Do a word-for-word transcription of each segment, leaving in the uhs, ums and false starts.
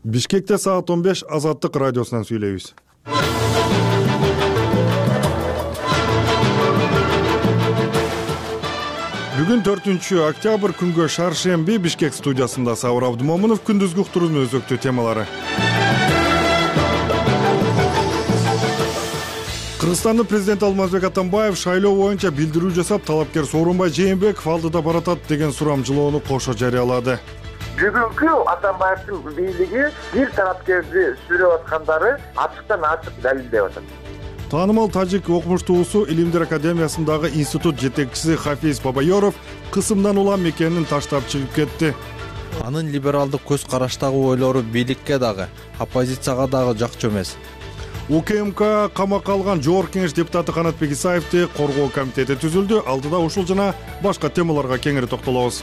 Бишкекте саат он беш Азаттык радиосунан сүйлөйбүз. Бүгүн төртүнчү октябрь күнгө шаршемби Бишкек студиясында Сабыр Абдымомунов күндүзгү уктуруунун өзөктүү темалары. Кыргызстандын президенти Алмазбек Атамбаев шайлоо боюнча билдирүү жасап, талапкер Сооронбай Жээнбеков алдыда баратат деген сурамжылоону кошо жарыялады. Бүгүнкү Атамбаевдин бийлиги бир талапкерди сүрөп аткандары ачыктан ачык далилдеп атат. Таанымал тажик окумуштуусу Илимдер академиясындагы институт жетекчиси Хафиз Бабайоров кысымдан улам экенин таштап чыгып кетти. Анын либералдык көз караштагы ойлору бийликке дагы, оппозицияга дагы жакчу эмес. УКМК камакка алган Жогорку Кеңеш депутаты Канатбек Исаевди коргоо комитети түзүлдү. Алдыда ушул жана башка темаларга кеңири токтолобуз.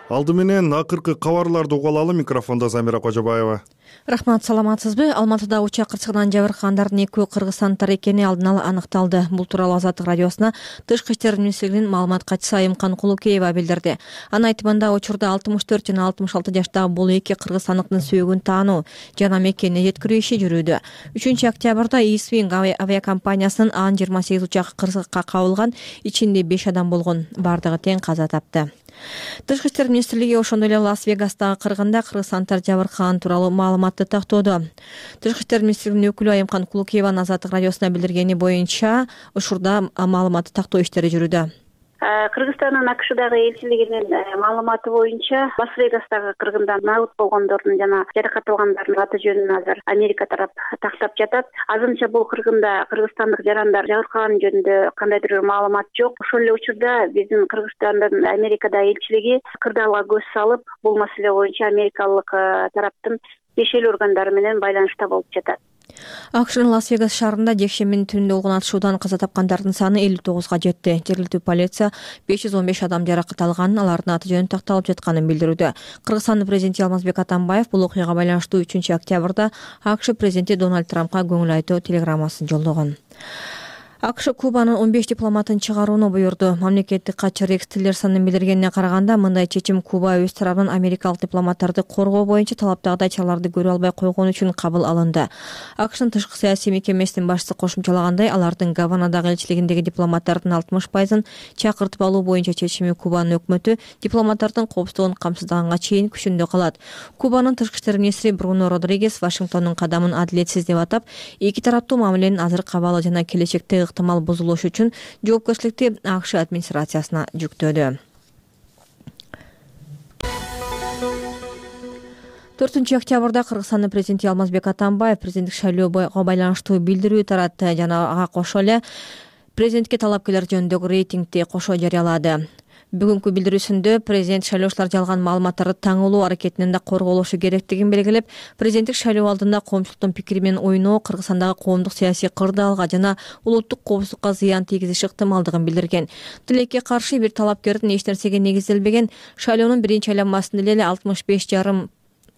Алды менен акыркы кабарларды угуп алалы. Микрофондо Замира Кожобаева. Рахмат, саламатсызбы? Алматыда учак кырсыгынан жабыркагандардын экөө кыргызстандыктар экени алдын ала аныкталды. Бул тууралуу Азаттык радиосуна Тышкы иштер министрлигинин маалымат катчысы Айымкан Кулукеева билдирди. Анын айтымында учурда алтымыш төрт жана алтымыш алты жаштагы бул эки кыргызстандыктын сөөгүн таануу жана мекенине жеткирүү иши жүрүүдө. үчүнчү октябрда Исвинг авиакомпаниясынын Ан жыйырма сегиз учагы кырсыкка кабылган, ичинде беш адам болгон, бардыгы тең каза тапты. Тышкы иштер министрлиги ошондой эле Лас-Вегастагы кыргында кыргызстандыктар жабыркаган тууралуу маалыматты тактоодо. Тышкы иштер министрлигинин өкүлү Айымкан Кулукееванын Азаттык радиосуна билдиргени боюнча, учурда маалыматты тактоо иштери жүрүүдө. Кыргызстандын АКШдагы элчилигинин маалыматы боюнча Лас-Вегастагы кыргында набыт болгондордун жана жаракат алгандардын аты жөнүн азыр Америка тарап тактап жатат. Азырынча бул кыргында кыргызстандык жарандар жабыркаган жөнүндө кандайдыр бир маалымат жок. Ошол эле учурда биздин Кыргызстандын Америкадагы элчилиги кырдаалга көз салып, бул маселе боюнча америкалык тараптын тиешелүү органдары менен байланышта болуп жатат. АКШнын Лас-Вегас шаарында жекшембинин түнүндө болгон атышуудан каза тапкандардын саны элүү тогузга жетти. Жергиликтүү полиция беш жүз он беш адам жаракат алганын, алардын аты жөнү такталып жатканын билдирүүдө. Кыргызстандын президенти Алмазбек Атамбаев бул окуяга байланыштуу үчүнчү октябрда АКШ президенти Дональд Трампка көңүл айтуу телеграммасын жолдогон. АКШ Кубанын он беш дипломатын чыгарууну буйрду. Мамлекеттик катчы Рекс Тиллерсондун билдиргенине караганда, мындай чечим Куба өз тарабынан америкалык дипломаттарды коргоо боюнча талаптагыдай чараларды көрө албай койгон үчүн кабыл алынды. АКШнын тышкы саясий мекемесинин башчысы кошумчалагандай, алардын Гаванадагы элчилигиндеги дипломаттардын алтымыш пайызын чакыртып алуу боюнча чечими Кубанын өкмөтү дипломаттардын коопсуздугун камсыздаганга чейин күчүндө калат. Кубанын тышкы иштер министри Бруно Родригес Вашингтондун кадамын адилетсиз деп атап, эки тараптуу мамиленин азыркы абалы жана келечекте ыктымал бузулуш үчүн жоопкерчиликти АКШ администрациясына жүктөдү. төртүнчү октябрда Кыргызстандын президенти Алмазбек Атамбаев президенттик шайлоого байланыштуу билдирүү таратты жана ага кошо эле президентке талапкерлер жөнүндөгү рейтингди кошо жарыялады. Бүгүнкү билдирүүсүндө президент шайлоочулар жалган маалыматтарды таңылуу аракетинен да корголушу керектигин белгилеп, президенттик шайлоо алдында коомчулуктун пикири менен ойноо Кыргызстандагы коомдук саясий кырдаалга жана улуттук коопсуздукка зыян тийгизиш ыктымалдыгын билдирген. Тилекке каршы бир талапкердин эч нерсеге негизделбеген шайлоонун биринчи айланмасында эле алтымыш беш жарым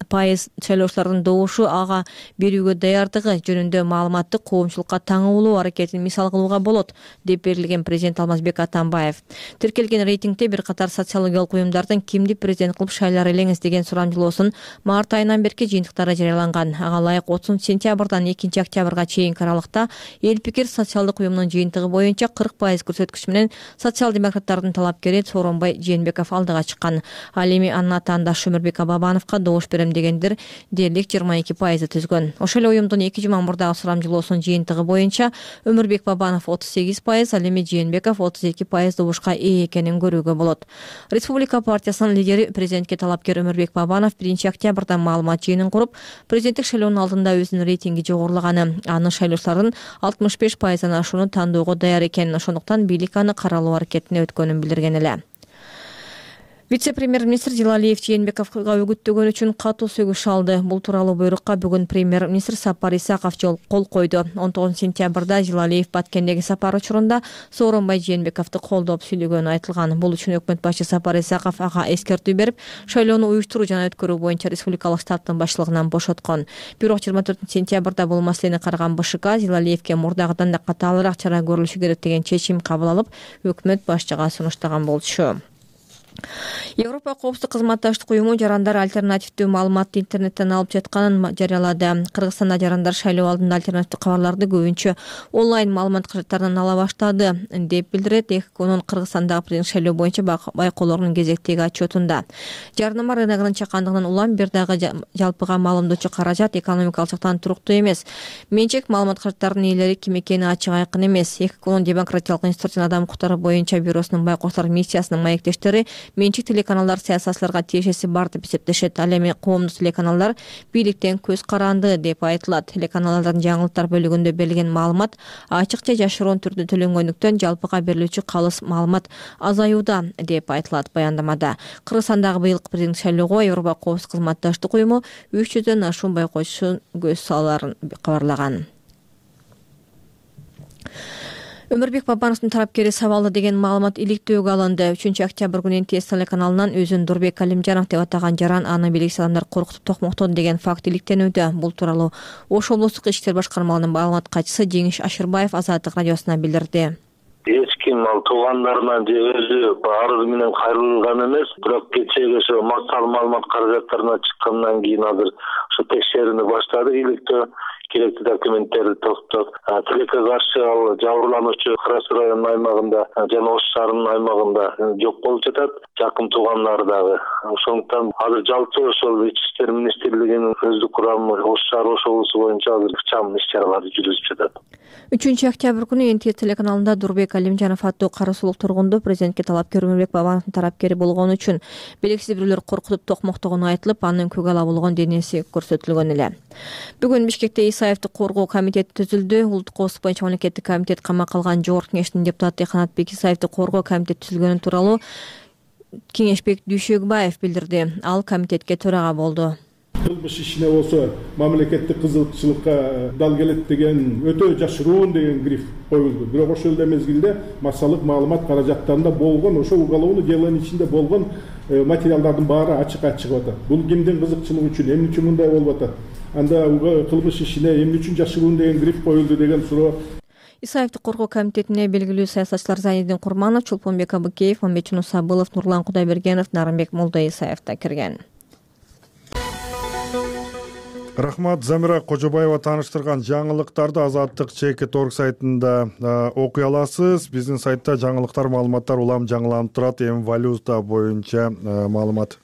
пайыз шайлоочулардын добушу ага берүүгө даярдыгы жөнүндө маалыматты коомчулукка таңылуу аракетин мисал кылууга болот, деп берилген президент Алмазбек Атамбаев. Тиркелген рейтингде бир катар социологиялык уюмдардын кимди президент кылып шайлар элеңиз деген сурамжылоосун март айынан берки жыйынтыктары жарыяланган. Ага ылайык отузунчу сентябрдан экинчи октябрга чейинки аралыкта Эл пикир социалдык уюмунун жыйынтыгы боюнча кырк пайыз көрсөткүч менен социал-демократтардын талапкери Сооронбай Жээнбеков алдыга чыккан. Ал эми анын атаандашы Өмүрбек Бабановго добуш берем дегендер дээрлик жыйырма эки пайызды түзгөн. Ошол эле уюмдун эки жума мурдагы сурамжылоосунун жыйынтыгы боюнча Өмүрбек Бабанов отуз сегиз пайыз, ал эми Жээнбеков отуз эки пайыз добушка ээ экенин көрүүгө болот. Республика партиясынын лидери президентке талапкер Өмүрбек Бабанов биринчи октябрда маалымат жыйынын куруп, президенттик шайлоонун алдында өзүнүн рейтинги жогорулаганы, аны шайлоочулардын алтымыш беш пайыздан ашууну тандоого даяр экенин, ошондуктан бийлик аны каралоо аракетине өткөнүн билдирген эле. Вице-премьер-министр Жылалиев Жээнбековго үгүттөгөн үчүн катуу сөгүш алды. Бул тууралуу буйрукка бүгүн премьер-министр Сапар Исаков кол койду. он тогузунчу сентябрда Жылалиев Баткендеги сапар учурунда Сооронбай Жээнбековду колдоп сүйлөгөнү айтылган. Бул үчүн өкмөт башчы Сапар Исаков ага эскертүү берип, шайлоону уюштуруу жана өткөрүү боюнча республикалык штабтын башчылыгынан бошоткон. Бирок жыйырма төртүнчү сентябрда бул маселени караган БШК Жылалиевге мурдагыдан да катаалыраак чара көрүлүшү керек деген чечим кабыл алып, өкмөт башчыга сунуштаган болчу. Европа коопсуздук кызматташтык уюму жарандар альтернативдүү маалыматты интернеттен алып жатканын жарыялады. Кыргызстанда жарандар шайлоо алдында альтернативдүү кабарларды көбүнчө онлайн маалымат каражаттарынан ала баштады деп билдирет Эконун Кыргызстандагы президент шайлоо боюнча байкоолорунун кезектеги отчетунда. Жарнама рыногунун чакандыгынан улам бир дагы жалпыга маалымдоочу каражат экономикалык жактан туруктуу эмес. Менчик маалымат каражаттарынын ээлери ким экени ачык айкын эмес. Эконун демократиялык институттун адам укуктары боюнча бюросунун байкоочулар миссиясынын маектештери менчик телеканалдар саясатчыларга тиешеси бар деп эсептешет. Ал эми коомдук телеканалдар бийликтен көз каранды деп айтылат. Телеканалдардын жаңылыктар бөлүгүндө берилген маалымат ачык же жашыруун түрдө төлөнгөндүктөн жалпыга берилүүчү калыс маалымат азаюуда деп айтылат баяндамада. Кыргызстандагы быйылкы президенттик шайлоого Европа коопсуздук кызматташтык уюму үч жүздөн ашуун байкоочу көз саларын кабарлаган. Өмүрбек Бабановдун тарапкери сабалды деген маалымат иликтөөгө алынды. үчүнчү октябрь күнү эн ти эс телеканалынан өзүн Дурбек Алимжанов деп атаган жаран аны белгисиз адамдар коркутуп токмоктоду деген факт иликтенүүдө. Бул тууралуу Ош облустук ички иштер башкармалыгынын маалымат катчысы Жеңиш Ашырбаев Азаттык радиосуна билдирди. Эч ким ал туугандарынан же өзү арыз менен кайрылган эмес, бирок кечеги ошо максат маалымат каражаттарына чыккандан кийин азыр ошо текшерүүнү баштады. Иликтөө керектүү документтерди топтоп, тилекке каршы ал жабырлануучу Кара Суу районунун аймагында жана Ош шаарынын аймагында жок болуп жатат, жакын туугандар дагы. Ошондуктан азыр жалпы ошол Ички иштер министрлигинин өздүк курамы Ош шаары Ош облусу боюнча азыр ыкчам иш-чаралар жүргүзүп жатат. үчүнчү октябрь күнү эн ти эс телеканалында Дурбек Алимжанов аттуу кара суулук тургунду президентке талапкер Өмүрбек Бабановдун тарапкери болгону үчүн белгисиз бирөөлөр коркутуп токмоктогону айтылып, анын көк ала болгон денеси көрсөтүлгөн эле. Бүгүн Бишкекте Исаевди коргоо комитети түзүлдү. Улуттук коопсуздук боюнча мамлекеттик комитет камакка алган жогорку кеңештин депутаты Канатбек Исаевди коргоо комитети түзүлгөнү тууралуу Кеңешбек Дүйшөгбаев билдирди. Ал комитетке төрага болду. Кылмыш ишине болсо мамлекеттик кызыкчылыкка дал келет деген өтө жашыруун деген гриф коюлду. Бирок ошол эле мезгилде массалык маалымат каражаттарында болгон ошо уголовный делонун ичинде болгон материалдардын баары ачык-ачык чыгып атат. Бул кимдин кызыкчылыгы үчүн, эмне үчүн мындай болуп атат? Анда кылмыш ишине эмне үчүн жашыруун деген гриф коюлду деген суроо. Исаевди коргоо комитетине белгилүү саясатчылар Зайнидин Курманов, Чулпонбек Абыкеев, Мамбетчун Сабылов, Нурлан Кудайбергенов, Нарымбек Молдоисаев да кирген. Рахмат. Замира Кожобаева тааныштырган жаңылыктарды Азаттык чекит точка орг сайтында окуй аласыз. Биздин сайтта жаңылыктар, маалыматтар улам жаңыланып турат. Эми валюта боюнча маалымат.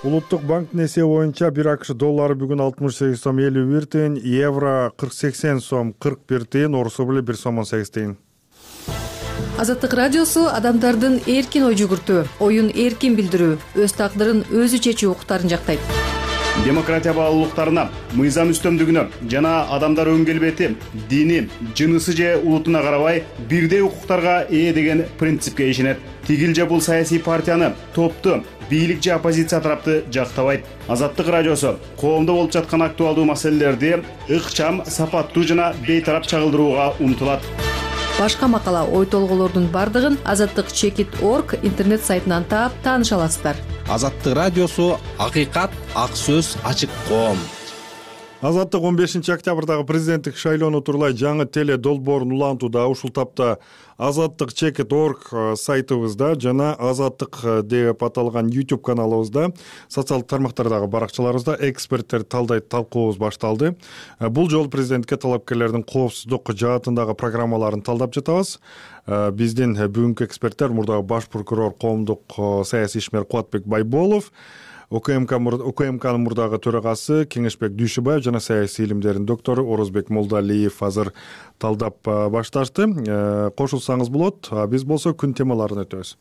Улуттук банктын эсеби боюнча бир АКШ доллары бүгүн алтымыш сегиз сом элүү бир тыйын, евро кырк сексен сом кырк бир тыйын, орус рубли бир сом он сегиз тыйын. Азаттык радиосу адамдардын эркин ой жүгүртүү, оюн эркин билдирүү, өз тагдырын өзү чечүү укуктарын жактайт. Демократия баалуулуктарына, мыйзам үстөмдүгүнө жана адамдар өн келбети, дини, жынысы же улутуна карабай бирдей укуктарга ээ деген принципке ишенет. Тигил же бул саясий партияны, топту, бийлик же оппозиция тарапты жактабайт. Азаттык радиосу коомдо болуп жаткан актуалдуу маселелерди ыкчам, сапаттуу жана бейтарап чагылдырууга умтулат. Башка макала, ой толголордун бардыгын азаттык чекит точка орг интернет сайтынан таап тааныша аласыздар. Азаттык радиосу акыйкат, ак сөз, ачык коом. Азаттык он бешинчи октябрдагы президенттик шайлоону тууралай жаңы теле долбоорун улантууда. Ушул тапта азаттык чекит точка орг сайтыбызда жана азаттык деп аталган YouTube каналыбызда, социалдык тармактардагы баракчаларыбызда эксперттер талдайт талкуубуз башталды. Бул жолу президентке талапкерлердин коопсуздук жаатындагы программаларын талдап жатабыз. Биздин бүгүнкү эксперттер мурдагы баш прокурор, коомдук саясий ишмер Кубатбек Байболов, УКМКнын мурдагы төрагасы Кеңешбек Дүйшөбаев жана саясий илимдердин доктору Орозбек Молдалиев азыр талдап башташты. Кошулсаңыз болот. Биз болсо күн темаларын өтөбүз.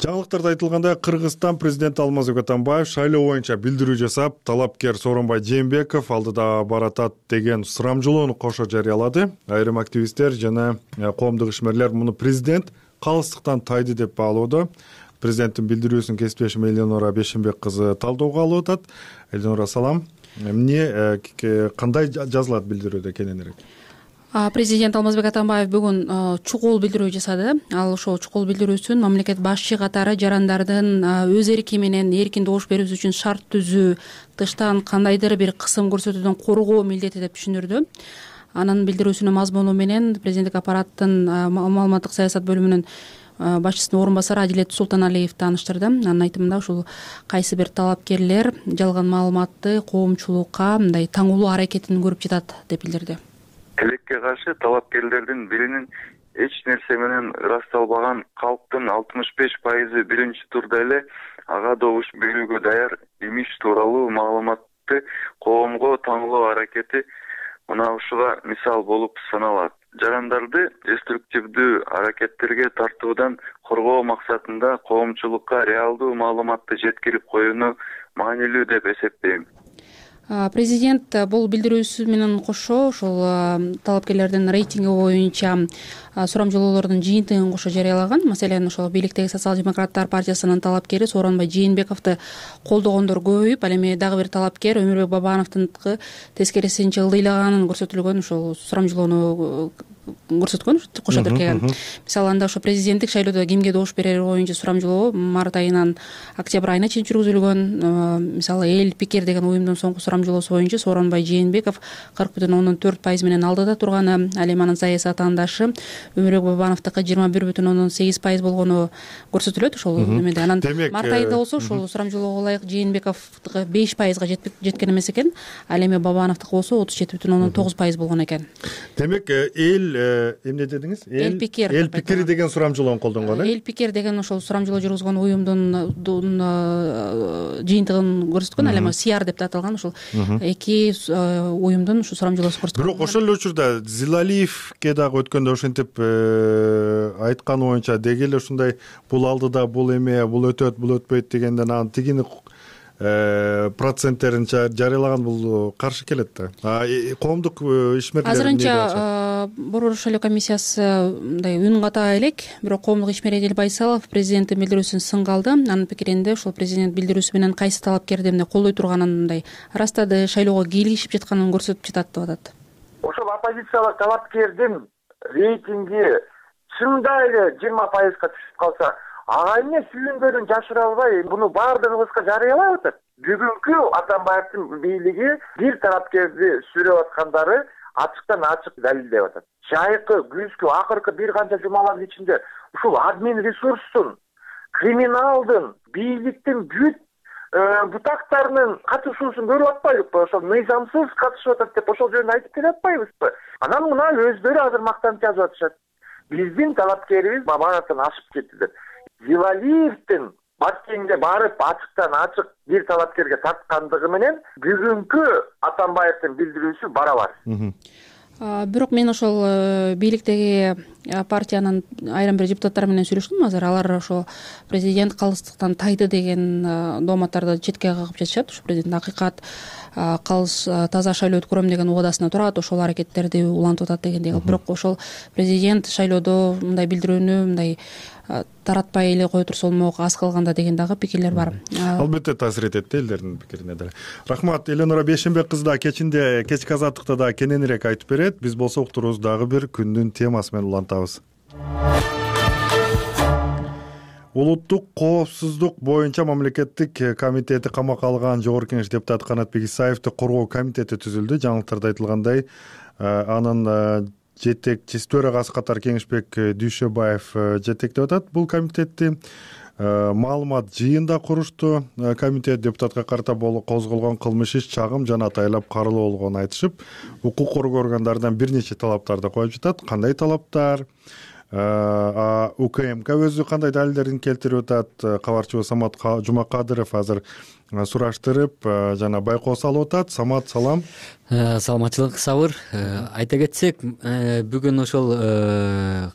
Жаңылыктарда айтылгандай, Кыргызстан президенти Алмазбек Атамбаев шайлоо боюнча билдирүү жасап, талапкер Сооронбай Жээнбеков алдыда баратат деген сурамжылоону кошо жарыялады. Айрым активисттер жана коомдук ишмерлер муну президент калыстыктан тайды деп баалоодо. Президенттин билдирүүсүн кесиптешим Элеонора Бешимбек кызы талдоого алып атат. Элеонора, салам. Эмне, кандай жазылат билдирүүдө кененирээк? Президент Алмазбек Атамбаев бүгүн чукул билдирүү жасады. Ал ошол чукул билдирүүсүн мамлекет башчы катары жарандардын өз эрки менен эркин добуш берүүсү үчүн шарт түзүү, тыштан кандайдыр бир кысым көрсөтүүдөн коргоо милдети деп түшүндүрдү. анын билдирүүсүнүн мазмуну менен президенттик аппараттын маалыматтык саясат бөлүмүнүн башчысынын орун басары Адилет Султаналиев тааныштырды. Анын айтымында ушул кайсы бир талапкерлер жалган маалыматты коомчулукка мындай таңуулуу аракетин көрүп жатат деп билдирди. Тилекке каршы талапкерлердин биринин эч нерсе менен ырасталбаган калктын алтымыш беш пайызы биринчи турда эле ага добуш берүүгө даяр имиш тууралуу маалыматты коомго таңуулоо аракети мына ушуга мисал болуп саналат. Жарандарды деструктивдүү аракеттерге тартуудан коргоо максатында коомчулукка реалдуу маалыматты жеткирип коюуну маанилүү деп эсептейм. Президент бул билдирүүсү менен кошо ошол талапкерлердин рейтинги боюнча сурамжылоолордун жыйынтыгын кошо жарыялаган. Маселен, ошол бийликтеги социал-демократтар партиясынын талапкери Сооронбай Жээнбековду колдогондор көбөйүп, ал эми дагы бир талапкер Өмүрбек Бабановдун тескерисинче ылдыйлаганын көрсөтүлгөн ошол сурамжылоону көрсөткөн кошо тиркеген. Мисалы, анда ошо президенттик шайлоодо кимге добуш берери боюнча сурамжылоо март айынан октябрь айына чейин жүргүзүлгөн. Мисалы, Эл Пикер деген уюмдун соңку сурамжылоосу боюнча Сооронбай Жээнбеков кырк бүтүн ондон төрт пайыз менен алдыда турганы, ал эми анын саясий атаандашы Өмүрбек Бабановдуку жыйырма бир бүтүн ондон сегиз пайыз болгону көрсөтүлөт. Ошол эмеде анан март айында болсо ошол сурамжылоого ылайык Жээнбековдуку беш пайызга жеткен эмес экен, ал эми Бабановдуку болсо отуз жети бүтүн ондон тогуз пайыз болгон экен. Демек, эл эмне дедиңиз? Эл Пикер. Эл Пикер деген сурамжылоону колдонгон э? Эл Пикер деген ошол сурамжылоо жүргүзгөн уюмдун жыйынтыгын көрсөткөн, ал эми Сиар деп аталган ошол эки уюмдун ушу сурамжылоосу көрсөткөн. Бирок ошол эле учурда Зилалиевке дагы өткөндө ошентип айтканы боюнча деги эле ушундай бул алдыда, бул эме, бул өтөт, бул өтпөйт дегенден анан тигини проценттерин жарыялаган бул каршы келет да. Коомдук ишмерлер азырынча Борбор шайлоо комиссиясы мындай үн ката элек, бирок коомдук ишмер Эдил Байсалов президенттин билдирүүсүн сынга алды. Анын пикиринде ошол президент билдирүүсү менен кайсы талапкерди эмне колдой турганын мындай ырастады, шайлоого кийлигишип жатканын көрсөтүп жатат деп атат. Ошол оппозициялык талапкердин рейтинги чында эле жыйырма пайызга түшүп калса, ага эмне сүйүнгөнүн жашыра албай буну баардыгыбызга жарыялап атат. Бүгүнкү Атамбаевдин бийлиги бир талапкерди сүрөп аткандары ачыктан ачык далилдеп атат. Жайкы, күзгү, акыркы бир канча жумалардын ичинде ушул админ ресурстун, криминалдын, бийликтин бүт бутактарынын катышуусун көрүп атпайбызбы? Ошол мыйзамсыз катышып атат деп ошол жөнүндө айтып келе атпайбызбы? Анан мына өздөрү азыр мактанып жазып атышат. Биздин талапкерибиз Бабановдон ашып кетти деп. Зилалиевдин Баткенге барып ачыктан ачык бир талапкерге тарткандыгы менен бүгүнкү Атамбаевдин билдирүүсү барабар. Бирок мен ошол бийликтеги партиянын айрым бир депутаттары менен сүйлөштүм азыр. Алар ошо президент калыстыктан тайды деген дооматтарды четке кагып жатышат. Ошо президент акыйкат калыс таза шайлоо өткөрөм деген убадасына турат, ошол аракеттерди улантып атат дегендей. Бирок ошол президент шайлоодо мындай билдирүүнү мындай таратпай эле кое турса болмок, аз калганда деген дагы пикирлер бар. Албетте таасир этет элдердин пикирине деле. Рахмат. Эленора Бейшенбек кызы да кечинде кечки азаттыкта да кененирээк айтып берет. Биз болсо уктурубуз дагы бир күндүн темасы менен улантабыз. Улуттук коопсуздук боюнча мамлекеттик комитети камакка алган Жогорку Кеңеш депутаты Канатбек Исаевди коргоо комитети түзүлдү. Жаңылыктарда айтылгандай, анын жетекчиси төрагасы катары Кеңешбек Дүйшөбаев жетектеп атат бул комитетти. Маалымат жыйында курушту. Комитет депутатка карата козголгон кылмыш иш чагым жана атайлап каралуу болгонун айтышып, укук коргоо органдарынан бир нече талаптарды коюп жатат. Кандай талаптар? УКМК өзү кандай далилдерин келтирип атат? Кабарчыбыз Самат Жумакадыров азыр сураштырып жана байкоо салып атат. Самат, салам. Саламатчылык, сабыр. Айта кетсек, бүгүн ошол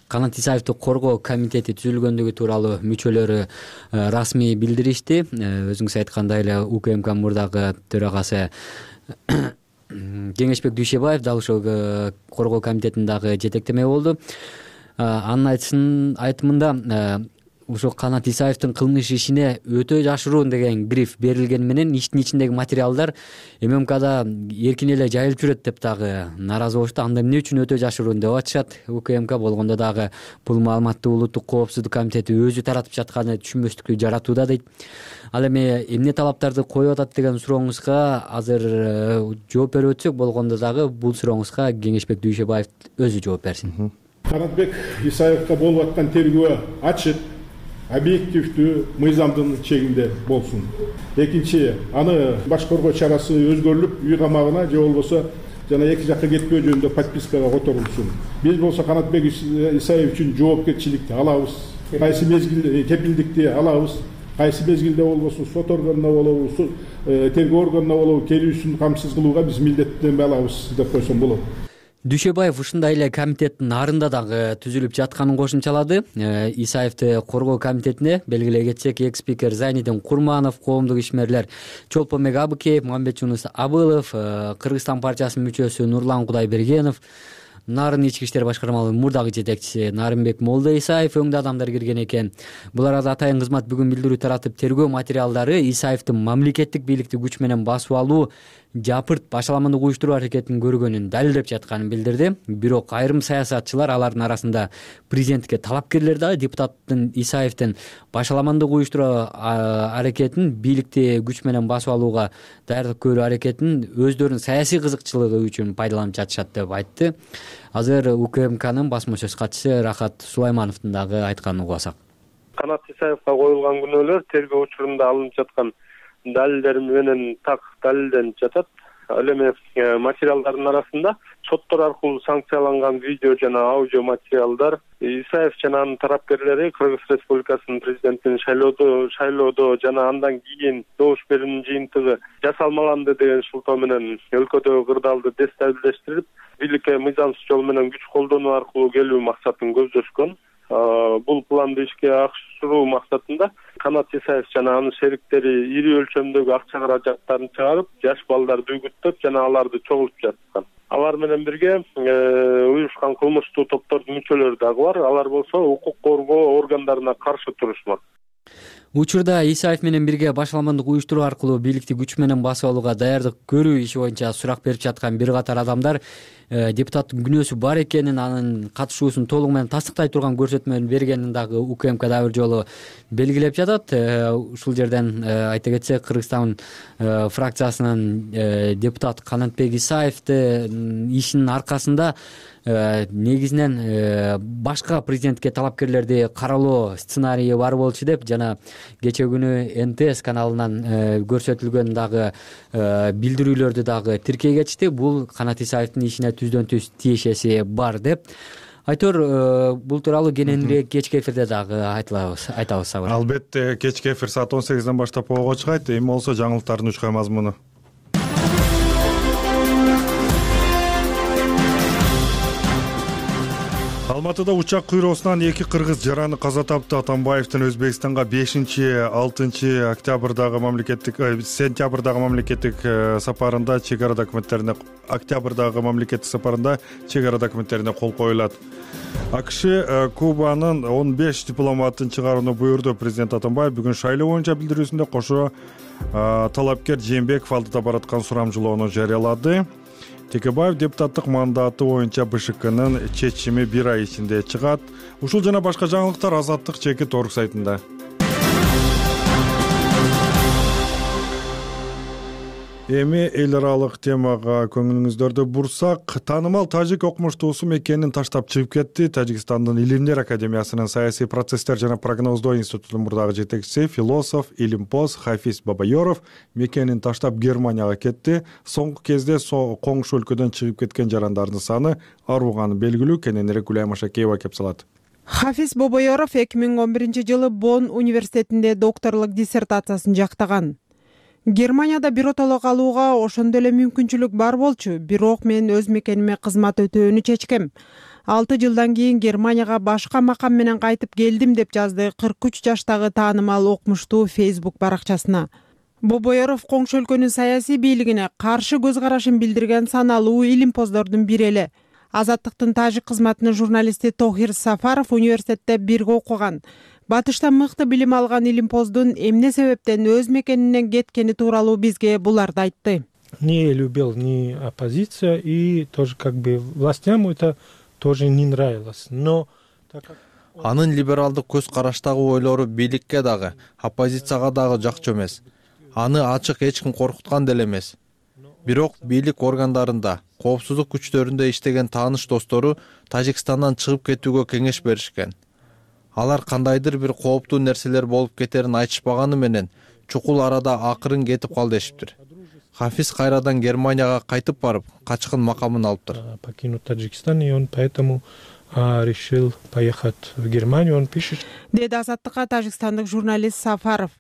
Канат Исаевди коргоо комитети түзүлгөндүгү тууралуу мүчөлөрү расмий билдиришти. Өзүңүз айткандай эле УКМК мурдагы төрагасы Кеңешбек Дүйшөбаев дал ошол коргоо комитетинин дагы жетектеме болду. Анын айтымында ошо Канат Исаевдин кылмыш ишине өтө жашыруун деген гриф берилгени менен иштин ичиндеги материалдар ММКда эркин эле жайылып жүрөт деп дагы нааразы болушту. Анда эмне үчүн өтө жашыруун деп атышат. УКМК болгондо дагы бул маалыматты Улуттук коопсуздук комитети өзү таратып жатканы түшүнбөстүктү жаратууда дейт. Ал эми эмне талаптарды коюп атат деген сурооңузга азыр жооп берип өтсөк болгондо дагы бул сурооңузга Кеңешбек Дүйшөбаев өзү жооп берсин. Канатбек Исаевга болуп аткан тергөө ачык, объективдүү, мыйзамдын чегинде болсун. Экинчи, аны башкаруу чарасы өзгөрүлүп, үй камагына же болбосо жана эки жакка кетпөө жөнүндө подпискага которулсун. Биз болсо Канатбек Исаев үчүн жоопкерчиликти алабыз. Кайсы мезгилде кепилдикти алабыз. Кайсы мезгилде болбосун сот органына болобу, тергөө органына болобу келүүсүн камсыз кылууга биз милдеттенме алабыз деп койсом болот. Дүйшөбаев ушундай эле комитеттин нарында дагы түзүлүп жатканын кошумчалады. Исаевди коргоо комитетине белгилей кетсек, экс спикер Зайнидин Курманов, коомдук ишмерлер Чолпонбек Абыкеев, Мамбетжунус Абылов, Кыргызстан партиясынын мүчөсү Нурлан Кудайбергенов, Нарын ички иштер башкармалыгынын мурдагы жетекчиси Нарымбек Молда Исаев өңдө адамдар кирген экен. Бул арада атайын кызмат бүгүн билдирүү таратып, тергөө материалдары Исаевдин мамлекеттик бийликти күч менен басып алуу, жапырт башаламандык уюштуруу аракетин көргөнүн далилдеп жатканын билдирди. Бирок айрым саясатчылар, алардын арасында президентке талапкерлер дагы депутаттын Исаевдин башаламандык уюштуруу аракетин, бийликти күч менен басып алууга даярдык көрүү аракетин өздөрүнүн саясий кызыкчылыгы үчүн пайдаланып жатышат деп айтты. Азыр УКМКнын басма сөз катчысы Рахат Сулаймановдун дагы айтканын угасак. Канат Исаевга коюлган күнөөлөр тергөө учурунда алынып жаткан далилдер менен так далилденип жатат. Ал эми материалдардын арасында соттор аркылуу санкцияланган видео жана аудио материалдар, Исаев жана анын тарапкерлери Кыргыз Республикасынын президентин шайлоодо шайлоодо жана андан кийин добуш берүүнүн жыйынтыгы жасалмаганды деген шылтоо менен өлкөдөгү кырдаалды дестабилдештирип, бийликке мыйзамсыз жол менен күч колдонуу аркылуу келүү максатын көздөшкөн. Бул планды ишке ашыруу максатында Канат Исаев жана анын шериктери ири өлчөмдөгү акча каражаттарын чыгарып, жаш балдарды үгүттөп жана аларды чогултуп жаткан. Алар менен бирге уюшкан кылмыштуу топтордун мүчөлөрү дагы бар. Алар болсо укук коргоо органдарына каршы турушмак. Учурда Исаев менен бирге башаламандык уюштуруу аркылуу бийликти күч менен басып алууга даярдык көрүү иши боюнча сурак берип жаткан бир катар адамдар депутаттын күнөөсү бар экенин, анын катышуусун толугу менен тастыктай турган көрсөтмөнү бергенин дагы УКМК дагы бир жолу белгилеп жатат. Ушул жерден айта кетсек, Кыргызстан фракциясынын депутаты Канатбек Исаевдин ишинин аркасында негизинен башка президентке талапкерлерди каралоо сценарийи бар болчу деп жана кечээ күнү Эн Тэ Эс каналынан көрсөтүлгөн дагы билдирүүлөрдү дагы тиркей кетишти. Бул Канат Исаевдин ишине түздөн түз тиешеси бар деп. Айтор, бул тууралуу кененирээк кечки эфирде дагы айтабыз, айтабыз. Албетте, кечки эфир саат он сегизден баштап ого чыгат. Эми болсо жаңылыктардын үч кай мазмуну. Алматыда учак кыйроосунан эки кыргыз жараны каза тапты. Атамбаевдин Өзбекстанга бешинчи алтынчы октябрдагы мамлекеттик сентябрдагы мамлекеттик сапарында чек ара документтерине октябрдагы мамлекеттик сапарында чек ара документтерине кол коюлат. АКШ Кубанын он беш дипломатын чыгарууну буйрду. Президент Атамбаев бүгүн шайлоо боюнча билдирүүсүндө кошо талапкер Жээнбеков алдыда бараткан сурамжылоону жарыялады. Текебаев депутаттык мандаты боюнча Бэ Ш Кнын чечими бир ай ичинде чыгат. Ушул жана башка жаңылыктар Азаттык чекит орг сайтында. Эми эл аралык темага көңүлүңүздөрдү бурсак, таанымал тажик окумуштуусу мекенин таштап чыгып кетти. Тажикстандын Илимдер академиясынын саясий процесстер жана прогноздоо институтунун мурдагы жетекчиси, философ, илимпоз Хафиз Бабайоров мекенин таштап Германияга кетти. Соңку кезде коңшу өлкөдөн чыгып кеткен жарандардын саны арууганы белгилүү. Кененирээк Гүлай Машакеева кеп салат. Хафиз Бабайоров эки миң он биринчи жылы Бонн университетинде докторлук диссертациясын жактаган. Германияда биротоло калууга ошондо эле мүмкүнчүлүк бар болчу, бирок мен өз мекениме кызмат өтөөнү чечкем. алты жылдан кийин Германияга башка макам менен кайтып келдим деп жазды кырк үч жаштагы таанымал окумуштуу Facebook баракчасына. Бобоеров коңшу өлкөнүн саясий бийлигине каршы көз карашын билдирген саналуу илимпоздордун бири эле. Азаттыктын тажик кызматынын журналисти Тохир Сафаров университетте бирге окуган. батышта мыкты билим алган илимпоздун эмне себептен өз мекенинен кеткени тууралуу бизге буларды айтты. Не любил ни оппозиция, и тоже как бы властям это тоже не нравилось. Но анын либералдык көз караштагы ойлору бийликке дагы, оппозицияга дагы жакчу эмес. Аны ачык эч ким коркуткан деле эмес. Бирок бийлик органдарында, коопсуздук күчтөрүндө иштеген тааныш достору Тажикстандан чыгып кетүүгө кеңеш беришкен. Алар кандайдыр бир кооптуу нерселер болуп кетерин айтышпаганы менен чукул арада акырын кетип кал дешиптир. Хафиз кайрадан Германияга кайтып барып, качкын макамын алыптыр. Покинуть Таджикистан, и он поэтому решил поехать в Германию, он пишет. Деди Азаттыкка тажикстандык журналист Сафаров.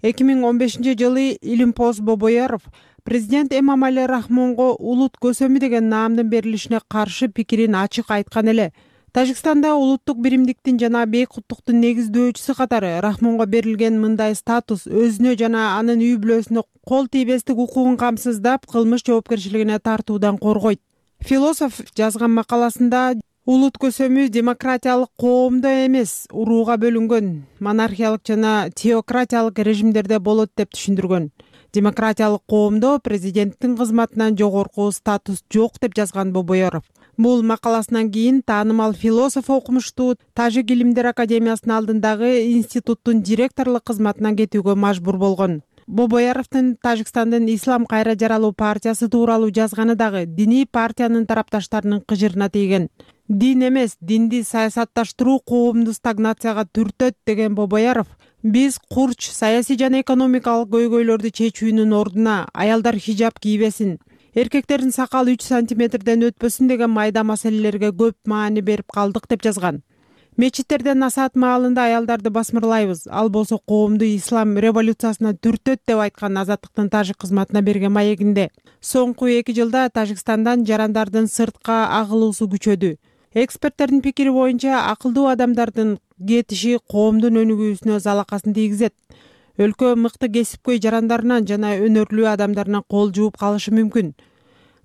эки миң он бешинчи жылы Илимпоз Бобояров президент Эмомали Рахмонго улут көсөмү деген наамдын берилишине каршы пикирин ачык айткан эле. Тажикстанда улуттук биримдиктин жана бейкуттуктун негиздөөчүсү катары Рахмонго берилген мындай статус өзүнө жана анын үй бүлөсүнө кол тийбестик укугун камсыздап, кылмыш жоопкерчилигине тартуудан коргойт. Философ жазган макаласында улут көсөмү демократиялык коомдо эмес, урууга бөлүнгөн, монархиялык жана теократиялык режимдерде болот деп түшүндүргөн. Демократиялык коомдо президенттин кызматынан жогорку статус жок деп жазган Бобояров. Бул макаласынан кийин таанымал философ окумуштуу Тажик илимдер академиясынын алдындагы институттун директорлук кызматынан кетүүгө мажбур болгон. Бобояровдун Тажикстандын Ислам кайра жаралуу партиясы тууралуу жазганы дагы диний партиянын тарапташтарынын кыжырына тийген. Дин эмес, динди саясатташтыруу коомду стагнацияга түртөт деген Бобояров, биз курч, саясий жана экономикалык көйгөйлөрдү чечүүнүн ордуна аялдар хижаб кийбесин, эркектердин сакалы үч сантиметрден өтпөсүн деген майда маселелерге көп маани берип калдык деп жазган. Мечиттерден насаат маалында аялдарды басмырлайбыз, ал болсо коомду ислам революциясына түртөт деп айткан Азаттыктын тажик кызматына берген маегинде. Соңку эки жылда Тажикстандан жарандардын сыртка агылуусу күчөдү. Эксперттердин пикири боюнча акылдуу адамдардын кетиши коомдун өнүгүүсүнө залакасын тийгизет. Өлкө мыкты кесипкөй жарандарынан жана өнөрлүү адамдарынан кол жууп калышы мүмкүн.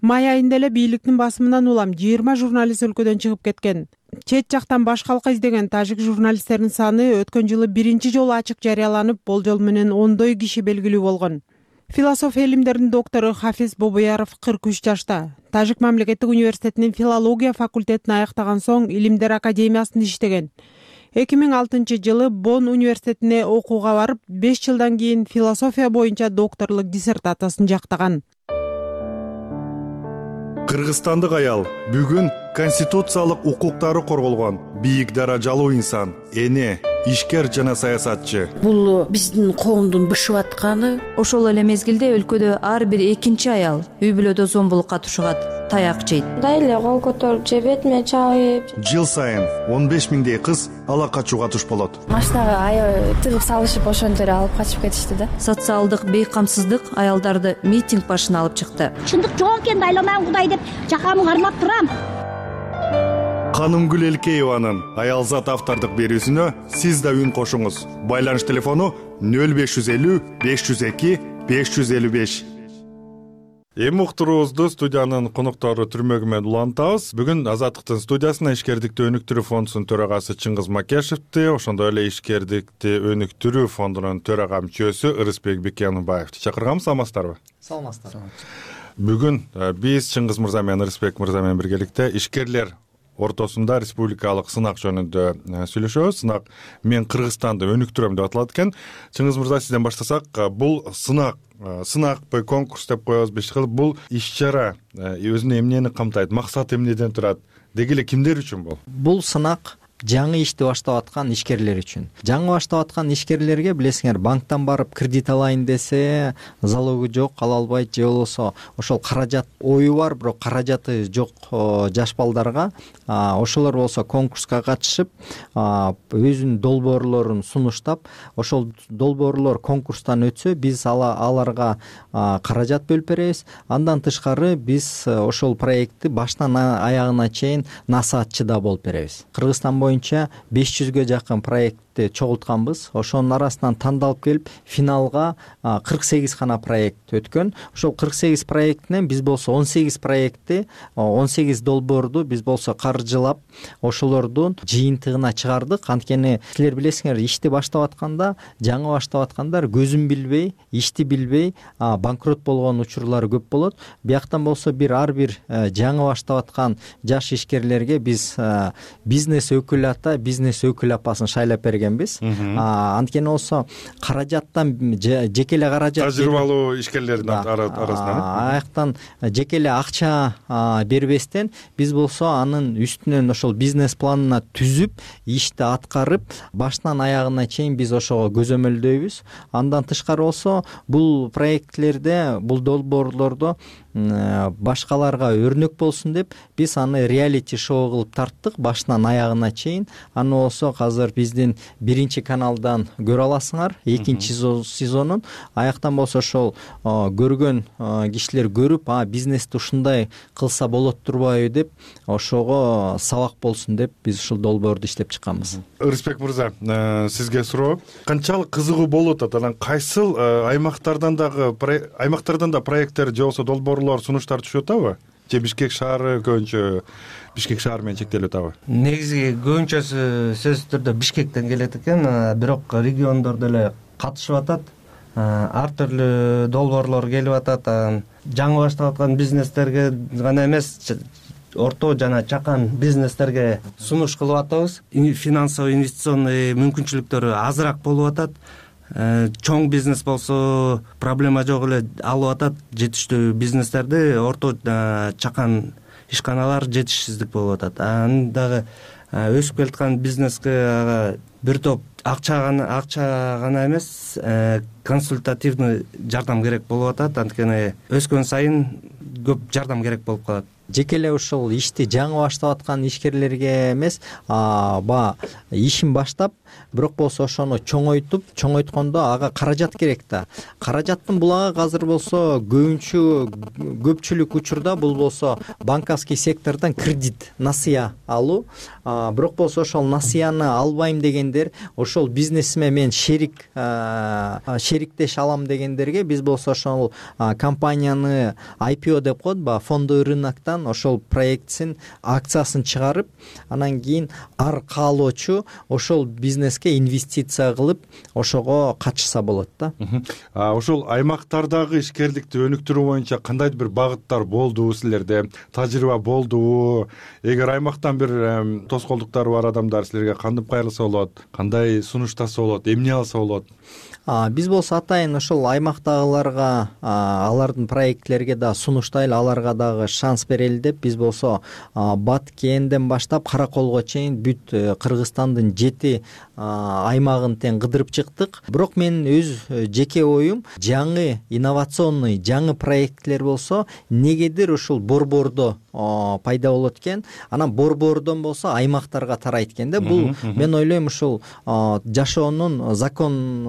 Май айында эле бийликтин басымынан улам жыйырма журналист өлкөдөн чыгып кеткен. Чет жактан баш калка издеген тажик журналисттердин саны өткөн жылы биринчи жолу ачык жарыяланып, болжол менен ондой киши белгилүү болгон. Философ илимдердин доктору Хафиз Бобояров кырк үч жашта. Тажик мамлекеттик университетинин филология факультетин аяктаган соң илимдер академиясында иштеген. эки миң алтынчы жылы Бонн университетине окууга барып, беш жылдан кийин философия боюнча докторлук диссертациясын жактаган. Кыргызстандык аял бүгүн конституциялык укуктары корголгон бийик даражалуу инсан, эне, ишкер жана саясатчы. Бул биздин коомдун бышып атканы. Ошол эле мезгилде өлкөдө ар бир экинчи аял үй бүлөдө зомбулукка тушугат, таяк жейт. Мындай эле кол көтөрүп же бетиме чабып. Жыл сайын он беш миңдей кыз ала качууга туш болот. Машинага аябай тыгып салышып ошентип алып качып кетишти да. Социалдык бейкамсыздык аялдарды митинг башына алып чыкты. Чындык жок экенин айламан Кудай деп жакамын кармап турам. Канымгүл Элкееванын аялзат автордук берүүсүнө сиз да үн кошуңуз. Байланыш телефону нөл беш жүз элүү беш жүз эки беш жүз элүү беш. Эми уктуруубузду студиянын коноктору түрмөгү менен улантабыз. Бүгүн Азаттыктын студиясына ишкердикти өнүктүрүү фондунун төрагасы Чыңгыз Макешевди, ошондой эле ишкердикти өнүктүрүү фондунун төрага мүчөсү Ырысбек Бекенбаевди чакырганбыз. Саламатсыздарбы? Саламатсыздар. Бүгүн биз Чыңгыз мырза менен Ырысбек мырза менен биргеликте ишкерлер ортосунда республикалык сынак жөнүндө сүйлөшөбүз. Сынак мен Кыргызстанды өнүктүрөм деп аталат экен. Чыңгыз мырза, сизден баштасак, бул сынак сынакпы, конкурс деп коебузбу, иш кылып, бул иш-чара өзүнө эмнени камтайт, максаты эмнеден турат, деги эле кимдер үчүн бул? Бул сынак жаңы ишти баштап аткан ишкерлер үчүн. Жаңы баштап аткан ишкерлерге, билесиңер, банктан барып кредит алайын десе, залогу жок, ала албайт, же болбосо ошол каражат ою бар, бирок каражаты жок жаш балдарга, ошолор болсо конкурска катышып, өзүнүн долбоорлорун сунуштап, ошол долбоорлор конкурстан өтсө, биз аларга каражат бөлүп беребиз. Андан тышкары биз ошол проектти баштан аягына чейин насаатчы да болуп беребиз. Кыргызстан боюнча беш жүзгө жакын проект проектти чогултканбыз. Ошонун арасынан тандалып келип финалга кырк сегиз гана проект өткөн. Ошол кырк сегиз проекттен биз болсо он сегиз проектти, он сегиз долбоорду биз болсо каржылап ошолордун жыйынтыгына чыгардык. Анткени силер билесиңер, ишти баштап атканда, жаңы баштап аткандар көзүн билбей, ишти билбей банкрот болгон учурлар көп болот. Бияктан болсо бир ар бир жаңы баштап аткан жаш ишкерлерге биз бизнес өкүл ата, бизнес өкүл апасын шайлап бергенбиз. Анткени болсо каражаттан жеке эле каражат, тажрыйбалуу ишкерлердин арасынан аяктан жеке эле акча бербестен биз болсо анын үстүнөн ошол бизнес планына түзүп, ишти аткарып, башынан аягына чейин биз ошого көзөмөлдөйбүз. Андан тышкары болсо бул проектлерде, бул долбоорлордо башкаларга өрнөк болсун деп биз аны реалити шоу кылып тарттык, башынан аягына чейин. Аны болсо азыр биздин биринчи каналдан көрө аласыңар, экинчи сезонун. Аяктан болсо ошол көргөн кишилер көрүп, а бизнести ушундай кылса болот турбайбы деп, ошого сабак болсун деп биз ушул долбоорду иштеп чыкканбыз. Рыспек мырза, сизге суроо. Канчалык кызыгуу болуп атат? Анан кайсыл аймактардан дагы аймактардан да проекттер же болбосо долбоорлор, сунуштар түшүп атабы? Же Бишкек шаары көбүнчө Бишкек шаары менен чектелип атабы? Негизи көбүнчөсү сөзсүз түрдө Бишкектен келет экен, бирок региондор деле катышып атат. Ар түрлүү долбоорлор келип атат. Жаңы баштап аткан бизнестерге гана эмес, орто жана чакан бизнестерге сунуш кылып атабыз. Финансовый, инвестиционный мүмкүнчүлүктөрү азыраак болуп атат. Чоң бизнес болсо проблема жок эле алып атат. Жетиштүү бизнестерди орто чакан ишканалар жетишсиздик болуп атат. Аны дагы өсүп келаткан бизнеске бир топ акча гана акча гана эмес, консультативный жардам керек болуп атат. Анткени өскөн сайын көп жардам керек болуп калат. Жеке эле ушул ишти жаңы баштап аткан ишкерлерге эмес, ба ишин баштап, бирок болсо ошону чоңойтуп, чоңойткондо ага каражат керек да. Каражаттын булагы азыр болсо көбүнчө көпчүлүк учурда бул болсо банковский сектордон кредит, насыя алуу. Бирок болсо ошол насыяны албайм дегендер, ошол бизнесиме мен шерик шериктеш алам дегендерге биз болсо ошол компанияны ай пи о деп коет, ба фондовый рыноктон ошол проектсин акциясын чыгарып, анан кийин ар каалоочу ошол бизнеске инвестиция кылып, ошого катышса болот да. Ошол аймактардагы ишкерликти өнүктүрүү боюнча кандайдыр бир багыттар болдубу силерде? Тажрыйба болдубу? Эгер аймактан бир тоскоолдуктары бар адамдар силерге кантип кайрылса болот? Кандай сунуштаса болот? Эмне алса болот? Биз болсо атайын ошол аймактагыларга, алардын проектлерге да сунуштайлы, аларга дагы шанс берели деп биз болсо Баткенден баштап Караколго чейин бүт Кыргызстандын жети аймагын тең кыдырып чыктык. Бирок менин өз жеке оюм, жаңы инновационный, жаңы проектлер болсо негедир ушул борбордо пайда болот экен. Анан борбордон болсо аймактарга тарайт экен да. Бул мен ойлойм ушул жашоонун закон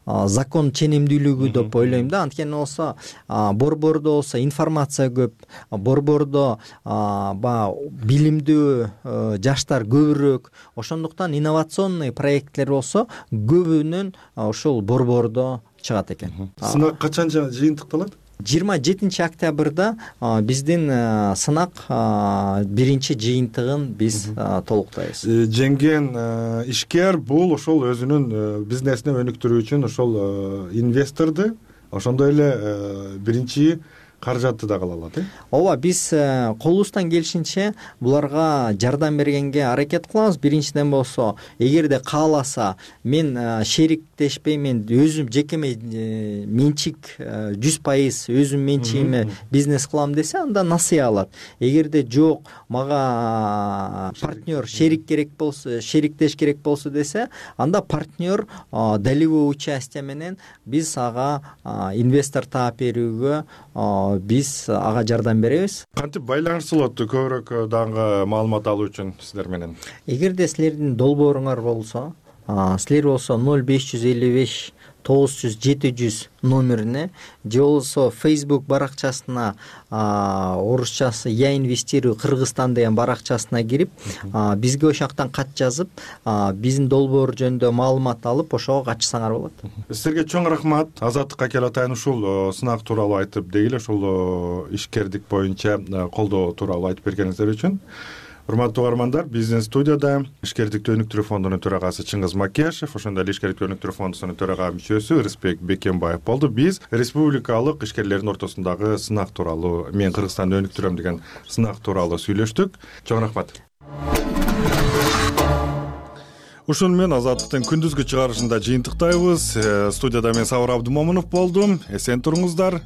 закон ченемдүүлүгү деп ойлойм да. Анткени болсо борбордо болсо информация көп, борбордо ба билимдүү жаштар көбүрөөк. Ошондуктан инновационный проекттер болсо көбүнөн ошол борбордо чыгат экен. Сынак качан жыйынтыкталат? жыйырма жетинчи октябрда биздин сынак биринчи жыйынтыгын биз толуктайбыз. Жеңген ишкер бул ошол өзүнүн бизнесин өнүктүрүү үчүн ошол инвесторду, ошондой эле биринчи каражатты да кыла алат, э? Ооба, биз колубуздан келишинче буларга жардам бергенге аракет кылабыз. Биринчиден болсо, эгерде кааласа, мен шериктешпей, мен өзүм жекеме менчик жүз пайыз өзүм менчигиме бизнес кылам десе, анда насыя алат. Эгерде жок, мага партнер, шерик керек болсо, шериктеш керек болсо десе, анда партнер долевой участие менен биз ага инвестор таап берүүгө биз ага жардам беребиз. Кантип байланышсалот көбүрөөк дагы маалымат алуу үчүн сиздер менен? Эгерде силердин долбооруңар болсо, силер болсо ноль беш жүз элүү беш тогуз жүз жети жүз номерине же болбосо Facebook баракчасына орусчасы я инвестирую Кыргызстан деген баракчасына кирип бизге ошол жактан кат жазып биздин долбоор жөнүндө маалымат алып ошого катышсаңар болот. Силерге чоң рахмат. Азаттыкка келе атайын ушул сынак тууралуу айтып дегиле ушул ишкердик боюнча колдоо тууралуу айтып бергениңиздер үчүн. Урматтуу угармандар, Бизнес студияда ишкердикти өнүктүрүү фондунун төрагасы Чыңгыз Макешев, ошондой эле ишкердикти өнүктүрүү фондунун төрага мүчөсү Рыспек Бекенбаев болду. Биз республикалык ишкерлердин ортосундагы сынак тууралуу, мен Кыргызстанды өнүктүрөм деген сынак тууралуу сүйлөштүк. Чоң рахмат. Ушуну менен Азаттыктын күндүзгү чыгарышында жыйынтыктайбыз. Студияда мен Сабыр Абдымомунов болдум. Эсен туруңуздар.